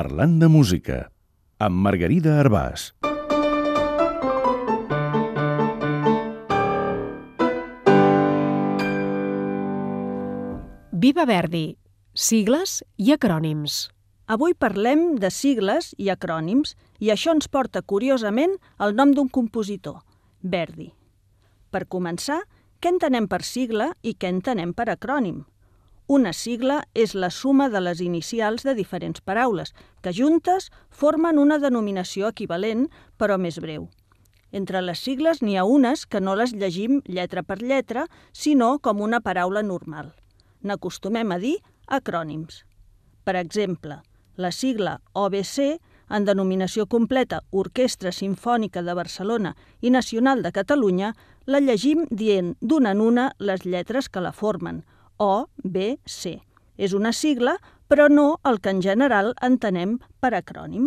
Parlant de música, amb Margarida Arbàs. Viva Verdi, sigles i acrònims. Avui parlem de sigles i acrònims i això ens porta, curiosament, al nom d'un compositor, Verdi. Per començar, què entenem per sigla i què entenem per acrònim? Una sigla és la suma de les inicials de diferents paraules, que juntes formen una denominació equivalent, però més breu. Entre les sigles n'hi ha unes que no les llegim lletra per lletra, sinó com una paraula normal. N'acostumem a dir acrònims. Per exemple, la sigla OBC, en denominació completa Orquestra Simfònica de Barcelona i Nacional de Catalunya, la llegim dient d'una en una les lletres que la formen, O, B, C. És una sigla, però no el que en general entenem per acrònim.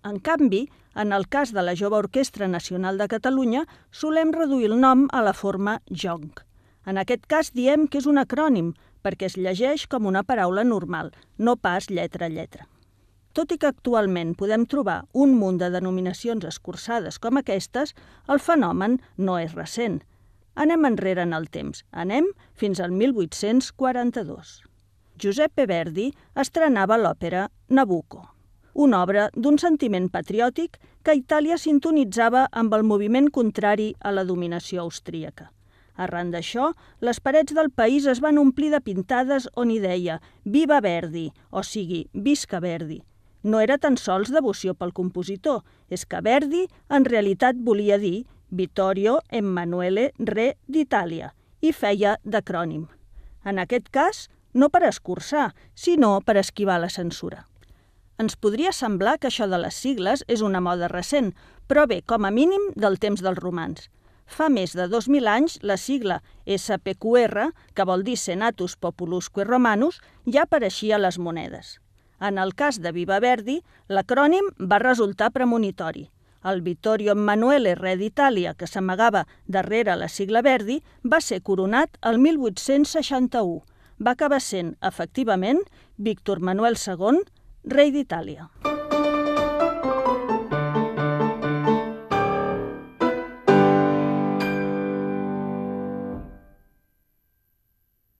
En canvi, en el cas de la Jove Orquestra Nacional de Catalunya, solem reduir el nom a la forma JONC. En aquest cas diem que és un acrònim, perquè es llegeix com una paraula normal, no pas lletra a lletra. Tot i que actualment podem trobar un munt de denominacions escurçades com aquestes, el fenomen no és recent. Anem enrere en el temps, anem fins al 1842. Giuseppe Verdi estrenava l'òpera Nabucco, una obra d'un sentiment patriòtic que Itàlia sintonitzava amb el moviment contrari a la dominació austríaca. Arran d'això, les parets del país es van omplir de pintades on hi deia «Viva Verdi», o sigui, «Visca Verdi». No era tan sols devoció pel compositor, és que Verdi en realitat volia dir Vittorio Emanuele Re d'Itàlia i feia d'acrònim. En aquest cas, no per escurçar, sinó per esquivar la censura. Ens podria semblar que això de les sigles és una moda recent, però bé, com a mínim, del temps dels romans. Fa més de 2.000 anys, la sigla SPQR, que vol dir Senatus Populusque Romanus, ja apareixia a les monedes. En el cas de Viva Verdi, l'acrònim va resultar premonitori. El Vittorio Emanuele Re d'Itàlia, que s'amagava darrere la sigla Verdi, va ser coronat el 1861. Va acabar sent, efectivament, Víctor Manuel II, rei d'Itàlia.